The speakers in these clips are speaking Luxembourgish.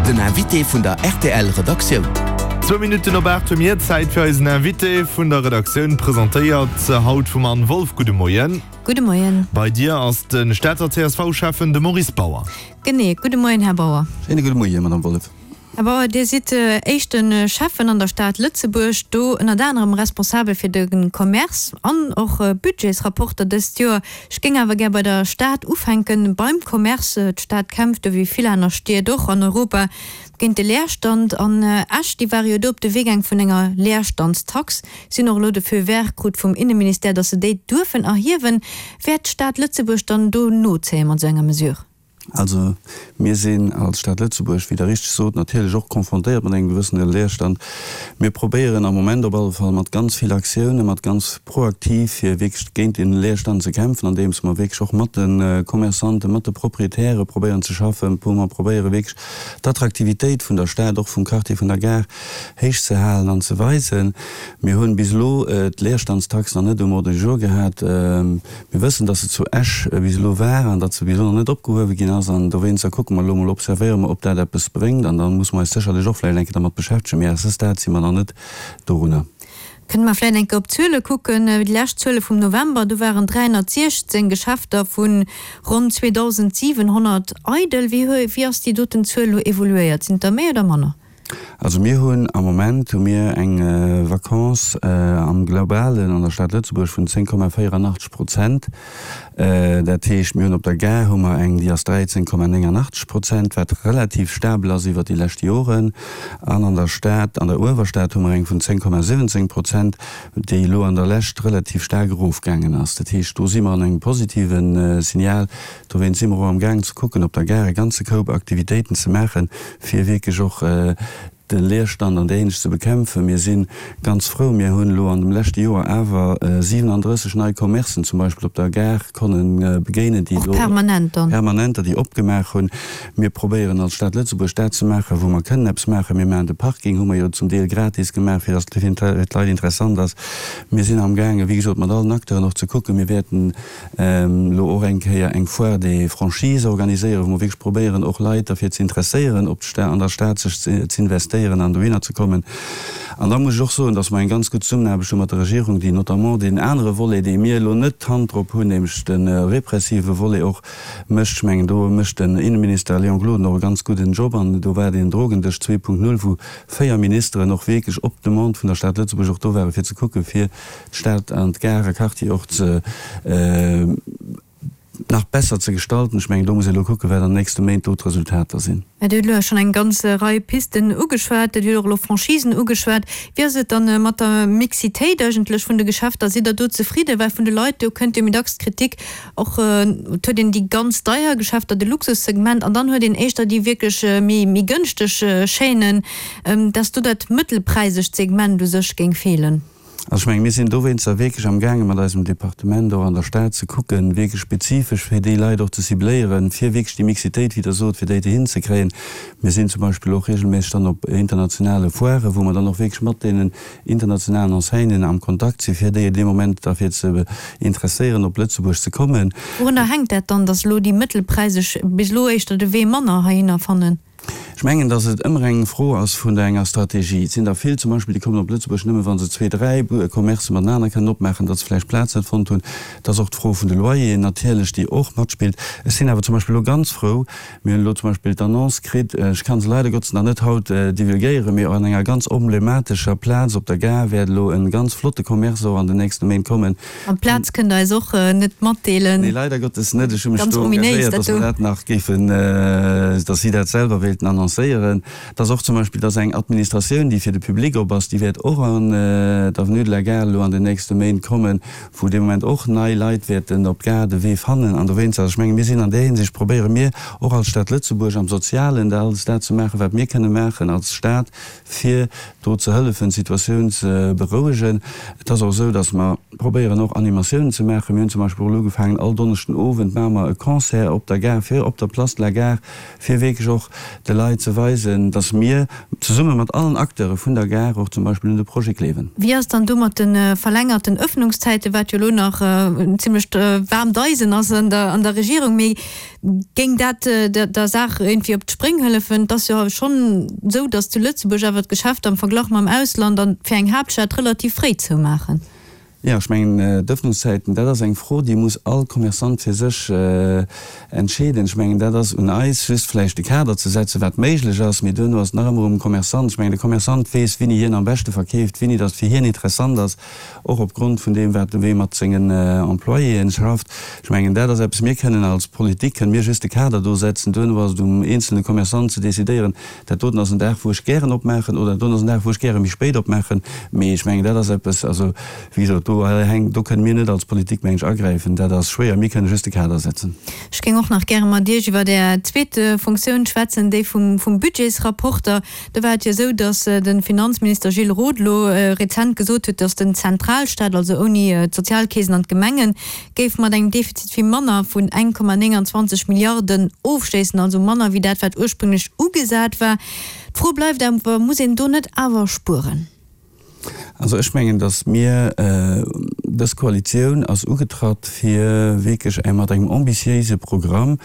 Den Invité vun der rtl Redaktioun. Zwou Minutten op 8 hu mir Zäit fir eisen Invité vun der Redaktioun, presentéiert haut vum Anne Wolff. Gudde Moien. Gudde Moien. Bei dir ass de Stater CSV-Schäffen, de Maurice Bauer. Genee. Gudde Moien, Här Bauer. Schéine gudde Moien, Madame Wolff. Här Bauer, Dir sidd éischte Schäffen an der Stad Lëtzebuerg, do ënnert anerem responsabel fir de Commerce an och Budgetsrapporter dëst Joer. Ech géing awer gär bei der Stad ufänken, beim Commerce. D'Stad kämpft, ewéi vill aner Stied och an Europa, géint de Leerstand. An Esch, déi ware jo do op de Wee gaang vun enger Leerstandstax, si hunn och elo de Feu vert krut vum Inneministère, datt se déi duerfen erhiewen. Wäert d'Stad Lëtzebuerg dann do nozéie mat esou enger Mesure? Also mir sinn als Stad Lëtzebuerg, wéi Der richteg sot, natierlech och confrontéiert mat engem gewëssene Leerstand. Mir probéieren am Moment op alle Fall mat ganz vill Aktiounen, mat ganz proaktiv, fir wierklech géint dee Leerstand ze kämpfen, andeems mer wierklech och mat de Commerçanten, mat de Proprietäre probéieren ze schaffen, wou mer probéiere wierklech d'Attraktivitéit vun der Stad, och vum Quartier vun der Gare héich ze halen an ze weisen. Mir hunn bis elo d'Leerstandstax nach net um Ordre du jour gehat. Mir wëssen, datt se zu Esch bis elo war an datt se bis elo nach net opgehuewe ginn ass. An dowéinster kucke mer elo emol, observéiere mer, ob dat eppes bréngt. An da musse mer eis sécherlech och vläicht eng Kéier dermat beschäftegen. Mee à ce stade si mer nach net dorunner. Kënne mer vläicht eng Kéier op d'Zuele kucken? Déi lescht Zuele vum November, do waren 316 Geschäfter vu ronn 2.700 eidel. Wéi ass déi doten Zuel elo evoluéiert? Sinn et der méi oder manner? Also mir hunn am Moment hu mir eng Vacance am Globalen an der Stad Lëtzebuerg vun 10,84 Prozent. Dat heescht, mir hunn op der Gare hu mer eng, déi ass 13,89 Prozent, wat relativ stabel ass iwwert déi lescht Joren. An an der Stad, an der Uewerstad hu mer eng vun 10,17 Prozent, déi elo an der Lescht relativ staark erofgaangen ass. Dat heescht, do si mer an engem positive Signal. Dowéinst si mer och am Gaang ze kucken, op der Gare e ganze Koup Aktivitéiten ze maachen, fir wierklech och de Leerstand an där Hinsicht ze bekämpfen. Mir si ganz frou, mir hunn elo an dem leschte Joer awer 37 nei Commercen zum Beispill op der Gare konne begéinen, déi elo permanenter, déi opgemaach hunn. Mir probéieren als Stad Lëtzebuerg dat ze maachen, wou mer kënnen eppes maachen. Mir maachen de Parking, hu mer jo zum Deel gratis gemaach, fir datt et fir d'Leit interessant ass. Mir sinn amgaangen, wéi gesot, mat allen Acteuren och ze kucken. Mir wäerten elo och eng Kéier eng Foire des franchises organiséieren, wou mer wierklech probéieren, och Leit derfir ze interesséieren, op d'Sta an der Stad sech z'investéieren an dohinner ze kommen. An da muss ech och soen, dass mer eng ganz gutt Zesummenaarbecht hu mat der Regierung, déi notamment deen anere Volet, dee mir elo net d'Hand drop hunn, nämlech de repressive Volet och mécht. Ech mengen, do mécht den Innenminister Léon Gloden och e ganz gudden Job. An do war deen Drogendësch 2.0, wou véier Ministeren och wierklech op Demande vun der Stad Lëtzebuerg och do waren, fir ze kucken, fir d'Stad an d'Gare Quartier och ze nach besser ze gestalten. Ech mengen, do muss ee elo kucken, wat an den nächste Méint do d'Resultater sinn. Mä Dir hutt elo schonn eng ganz Rei Pisten ugeschwat. Dir hutt och elo Franchisen ugeschwat. Wéi ass et dann mat der Mixitéit eigentlech vun de Geschäfter? Sidd Der do zefridden? Well vun de Leit, do kënnt jo méi dacks d'Kritik och, et huet een déi ganz deier Geschäfter, de Luxussegment, an dann huet een éischter déi wierklech méi gënschteg Chaînen, dass do dat mëttelpräisegt Segment u sech géing feelen. Also ech menge mir sinn dowéinster wierklech amgaange mat eisem Departement och an der Stad ze kucken, wierklech spezifesch fir déi Leit och ze cibléieren, fir wierklech déi Mixitéit, wéi Der sot, fir déi hinzekréien. Mir sinn zum Beispill och regelméisseg dann op internationale Foiren, wou mer dann och wierklech mat deenen internationalen Enseignen am Kontakt sinn, fir déi dee Moment derfir ze interesséieren, op Lëtzebuerg ze kommen. Wourunner hänkt dat dann, datt elo déi mëttelpräiseg bis elo éischter de Wee manner heihinner fannen? Ech mengen, datt et ëmmer eng Fro ass vun der enger Strategie. Et sinn der vill zum Beispill, déi kommen op Lëtzebuerg nëmme wa se zwee, dräi Commercë matenaner kënnen opmaachen, datt se vläicht Plaz net fonnt hunn. Et ass och d'Fro vun de Loyeren natierlech, déi och matspillt. Ech sinn awer zum Beispill elo ganz frou, mir hunn elo zum Beispill d'Annonce kritt, ech ka se leider Gottes nach net haut divulgéieren, mee an enger ganz emblematescher Plaz op der Gare wäert elo e ganz flotte Commerce och an den nächste Méint kommen, An d'Plaz kënnt der eis och net matdeelen. Nee, leider Gottes net. Ech hu mech do engagéiert, dass mer dat nach géifen, dass si dat selwer wéilten annoncéieren. Dass och zum Beispill, dass eng Administratioun, déi fir de Public op ass, déi wäert och an d'Avenue de la Gare elo an den nächste Méint kommen, wou dee Moment och nei Leit wäerten op d'Gare de Wee fannen. An dowéinst, also ech menge mir sinn an där Hinsicht, probéiere mir och als Stad Lëtzebuerg am Sozialen da alles dat ze maachen, wat mir kënne maachen als Stad, fir do ze hëllefen, d'Situatioun ze berouegen. Et ass och esou, datt mer probéieren och Animatiounen ze maachen. Mir hunn zum Beispill och elo ugefaangen, all Donneschden Owend maache mer e Concert op der Gare, fir op der Place de la Gare, fir wierklech och de Leit. fir ze weisen, dass mir zesumme mat allen Acteure vun der Gare och zum Beispill un de Projet gleewen. Wéi ass dann do mat de verlängerten Öffnungszäiten, wat jo elo nach en zimlecht waarmt Eisen ass an der Regierung, mee géing dat der Saach iergendwéi op d'Spréng hëllefen? Et ass jo schonn esou, datt zu Lëtzebuerg awer d'Geschäfter am Verglach mam Ausland an fir eng Haaptstad relativ fréi zoumaachen. Jo, ech mengen, d'Ëffnungszäiten, dat ass eng Fro, déi muss all Commerçant fir sech entscheeden. Ech mengen, dat ass un eis, just vläicht de Kader ze setzen, wat méiglech ass, mee duerno ass et nach ëmmer um Commerçant. Ech mengen, de Commerçant weess, wéini hien am beschte verkeeft, wéini datt et fir hien interessant ass, och opgrond vun deem, wat wéi e mat sengen Employéen schafft. Ech mengen, dat ass eppes, mir kënnen als Politik, kënnen mir just de Kader do setzen, duerno ass et um eenzelne Commerçant ze decidéieren, Dat doten ass en Dag, wou ech gären opmaachen, oder dat doten ass en Dag, wou ech gäre méi spéit opmaachen. Mee ech mengen, dat ass eppes, also, wéi gesot, do hänkt, do kënne mir net als Politik, meng ech, agräifen. Dat ass schwéier. Mir kënne just de Kader setzen. Ech géing och nach gäre mat Iech iwwer Är zweet Funktioun schwätzen, déi vum Budgetsrapporter. Do war et jo esou, datt de Finanzminister Gilles Roth elo rezent gesot huet, datt den Zentralstaat, also ouni d'Sozialkeesen an d'Gemengen, géif mat engem Defizit vu manner vun 1,29 Milliarden ofschléissen, also manner wéi dat, wat ursprünglech ugesat war. D'Fro bleift awer, Muss een do net awer spueren? Also ech mengen, datt mir, dës Koalitioun ass ugetratt fir wierklech mat engem ambitiéise Programm,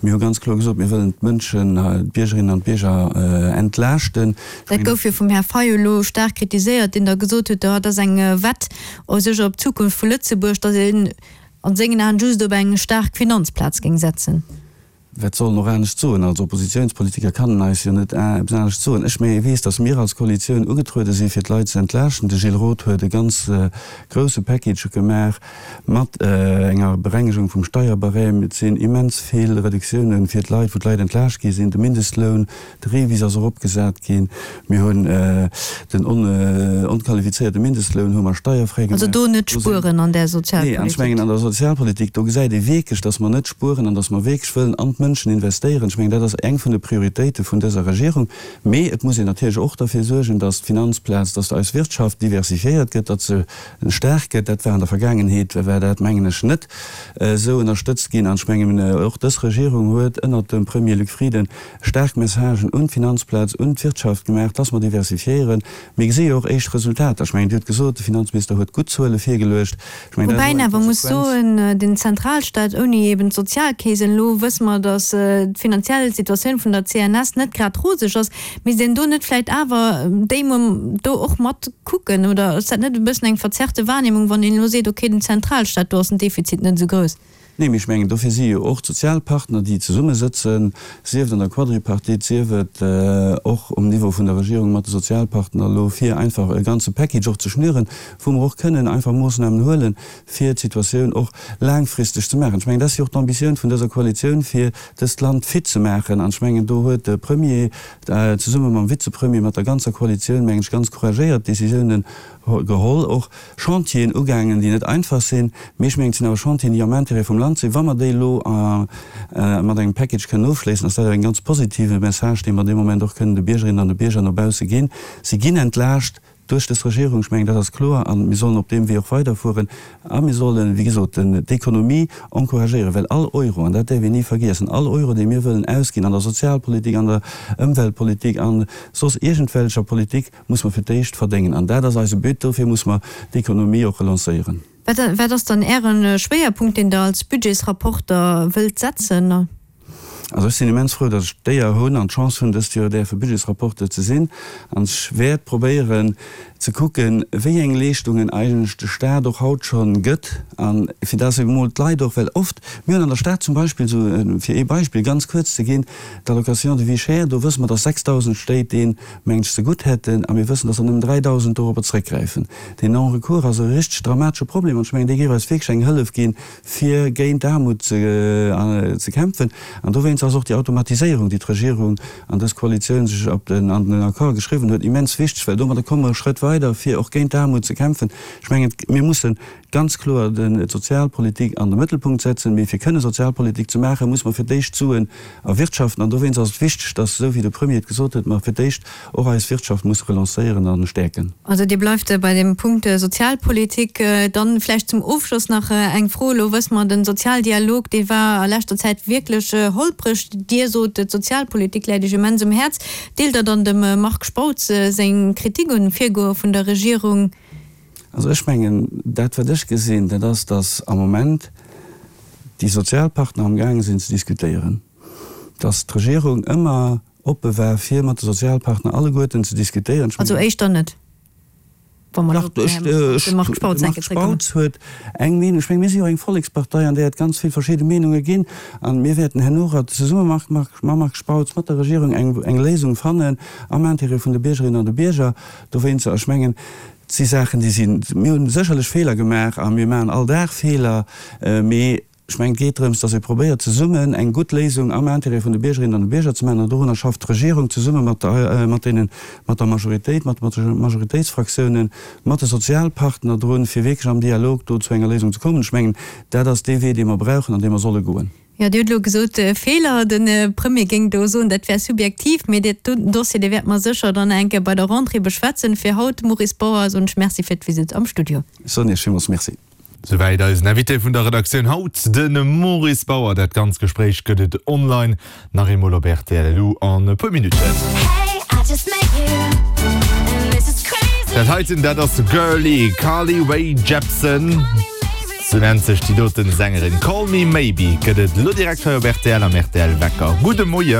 mir hu ganz kloer gesot, mir wëllen d'Mënschen, d'Biergerinnen an d'Bierger entlaaschten. Dat gouf jo vum Här Fayot elo staark kritiséiert, deen da gesot huet, dat ass eng Wett u sech op d'Zukunft vu Lëtzebuerg, datt een an sengen Aen just op eng staark Finanzplaz géing setzen. Wat soll en och anescht soen? Als Oppositiounspolitiker kann en eis jo net eppes anescht soen. Ech mee weess, datt mir als Koalitioun ugetruede si fir d'Leit ze entlaaschten. De Gilles Roth huet e ganz grousse Package gemaach mat enger Berengegung vum Steierbarème. Et sinn immens vill Reduktioune fir d'Leit, wou d'Leit entlaascht gi sinn, de Mindestloun, De REVIS ass eropgesat ginn. Mir hunn den onqualifizéierte Mindestloun hu mer steierfräi gemaach. Also do net spueren an där Sozialpolitik? Nee, an ech mengen an der Sozialpolitik, do gesäit ee wierklech, datt mer net spueren an datt mer wierklech wëllen an d'Mënschen investéieren. Ech mengen, dat ass eng vun de Prioritéite vun dëser Regierung. Mee et muss een natierlech och derfir suergen, datt d'Finanzplaz, datt eis Wirtschaft diversifiéiert gëtt, datt se staark gëtt. Dat war an der Vergaangenheet, war dat, mengen ech, net esou ënnerstëtzt ginn. An ech mengen, och dës Regierung huet ënnert dem Premier Luc Frieden Staark Messagen un d'Finanzplaz, un d'Wirtschaft gemaach, dass mer diversifiéieren. Mir gesi jo och éischt Resultater. Ech mengen, Dir hutt gesot, de Finanzminister huet gutt Zuele virgeluecht. Ech mengen, dat ass och eng Konsequenz. Woubäi een awer muss soen, den Zentralstaat ouni eben d'Sozialkeesen, elo wësse mer, dass d'finanziell Situatioun vun der CNS net grad roseg ass, misst een do net vläicht awer déi Mom do och mat kucken? Oder ass dat net e bëssen eng verzerrte Wahrnehmung, wann een elo seet, okay, den Zentralstaat, do ass den Defizit net esou grouss? Nee, mee ech mengen, dofir si jo och d'Sozialpartner, déi zesummesëtzen, sief et an der Quadripartite, sief et och um Niveau vun der Regierung mat de Sozialpartner elo, fir einfach e ganze Package och ze schnüren, wou mer och kënnen einfach Moossnamen huelen, fir d'Situatioun och laangfristeg ze maachen. Ech mengen, dat ass jo och d'Ambitioun vun dëser Koalitioun, fir dëst Land fit ze maachen. An ech mengen, do huet de Premier zesumme mam Vizepremier, mat der ganzer Koalitioun, mengen ech, ganz couragéiert Décisiounen geholl, och Chantieren ugaangen, déi net einfach sinn, mee ech mengen, et sinn awer Chantieren, déi am Intérêt vum Land sinn. Wa mer déi elo mat engem Package kënnen ofschléissen, ass dat awer en ganz positive Message, dee mer dee Moment och kënnen de Biergerinnen an de Bierger no bausse ginn. Si ginn entlaascht duerch dës Regierung, ech mengen, dat ass kloer, a mir sollen op deem Wee och weiderfueren a mir sollen, wéi gesot, d'Ekonomie encouragéieren, well all Euro, an dat däerf een ni vergiessen, all Euro, dee mir wëllen ausginn an der Sozialpolitik, an der Ëmweltpolitik, a soss iergendwelcher Politik, Muss mer fir d'éischt verdéngen. An dat ass eise But. Dofir muss mer d'Ekonomie och relancéieren. Wat ass dann Äre Schwéierpunkt, deen Der als Budgetsrapporter wëllt setzen? Also ech sinn immens frou, datt ech d'Éier hunn an d'Chance hunn, dëst Joer däerfe Budgetsrapporteur ze sinn. An ech wäert probéieren ze kucken, wéi eng Leeschtungen eigentlech de Stat och haut scho gëtt. A fir datt emol d'Leit och, well oft, mir hunn an der Stad zum Beispill, esou fir ee Beispill ganz kuerz ze ginn, d'Allocation de vie chère, do wësse mer, datt 6.000 Stéit dee mengt ech, zegutt hätten, a mir wëssen, dass der nëmmen 3.000 dorobber zrëckgräifen. Deen Non-recours ass e richteg dramatesche Problem, an ech mengen, dee géif eis wierklech eng Hëllef ginn, fir géint d'Aarmut ze kämpfen. An dowéinst ass och déi Automatiséierung, déi d'Regierung an dës Koalitioun sech op den, an den Accord geschriwwen huet, immens wichteg, well domadder komme mer e Schrëtt weider, fir och géint d'Aarmut ze kämpfen. Ech mengen, mir mussen ganz kloer d'Sozialpolitik an de Mëttelpunkt setzen. Mee fir kënne Sozialpolitik ze maachen, muss mer fir d'éischt d'Suen erwirtschaften. An dowéinst ass et wichteg, dass, esou wéi de Premier et gesot huet, mer fir d'éischt och eis Wirtschaft musse relancéieren a stäerken. Also Dir bleift bei dem Punkt Sozialpolitik. Dann vläicht zum Ofschloss nach eng Fro. Elo wësse mer, de Sozialdialog, dee war a leschter Zäit wierklech holpreg. Dikrech. Dir sot, d'Sozialpolitik läit Iech immens um Häerz. Deelt Der dann dem Marc Spautz seng Kritik un Virgoe vun der Regierung? Also ech mengen, dat wat ech gesinn, dat ass, datt am Moment déi Sozialpartner am gaange sinn ze diskutéieren, datt d'Regierung ëmmer oppe war fir mat de Sozialpartner alleguerten ze diskutéieren. Ech mengen. Also éischter net, wa mer elo op de Marc Spautz enke zréckkommen. De Marc Spautz huet eng Meenung. Ech mengen, mir si jo eng Vollekspartei, an där et ganz vill verschidde Meenunge ginn. A mir wäerten herno zesumme mam Marc Spautz, mat der Regierung eng eng Léisung fannen am Intérêt vun de Biergerinnen an de Bierger. Dowéinster, ech mengen, et si Saachen, déi sinn, mir hu sécherlech Feeler gemaach a mir maachen all Dag Feeler, mee Ech mengen, et geet drëms, dass ee probéiert, zesummen eng gutt Léisung am Intérêt vun de Biergerinnen an de Bierger ze maachen. An dorunner schafft d'Regierung zesumme mat mat deenen, mat der Majoritéit, mat de Majoritéitsfraktiounen, mat de Sozialpartner drun, fir wierklech am Dialog do zu enger Léisung ze kommen. Ech mengen, dat ass dee Wee, dee mer brauchen an dee mer solle goen. Jo, Dir hutt elo gesot, Feeler. De Premier géing do soen, dat wär subjektiv. Mee dat Dossier, dee wäerte mer sécher dann eng Kéier bei der Rentrée beschwätzen. Fir haut, Maurice Bauer, soen ech Merci fir d'Visitt am Studio. Ech soen Iech villmools Merci. Souwäit eisen Invité vun der Redaktioun haut, de Maurice Bauer. Dat ganz Gespréich gëtt et online nach eemol op rtl.lu an e puer Minutten. Dat heiten, dat ass Girlie, Carly Rae Jepsen, sou nennt sech déi doten Sängerin. Call Me Maybe gëtt et elo direkt hei op rtl am rtl Wecker. Gudde Moien.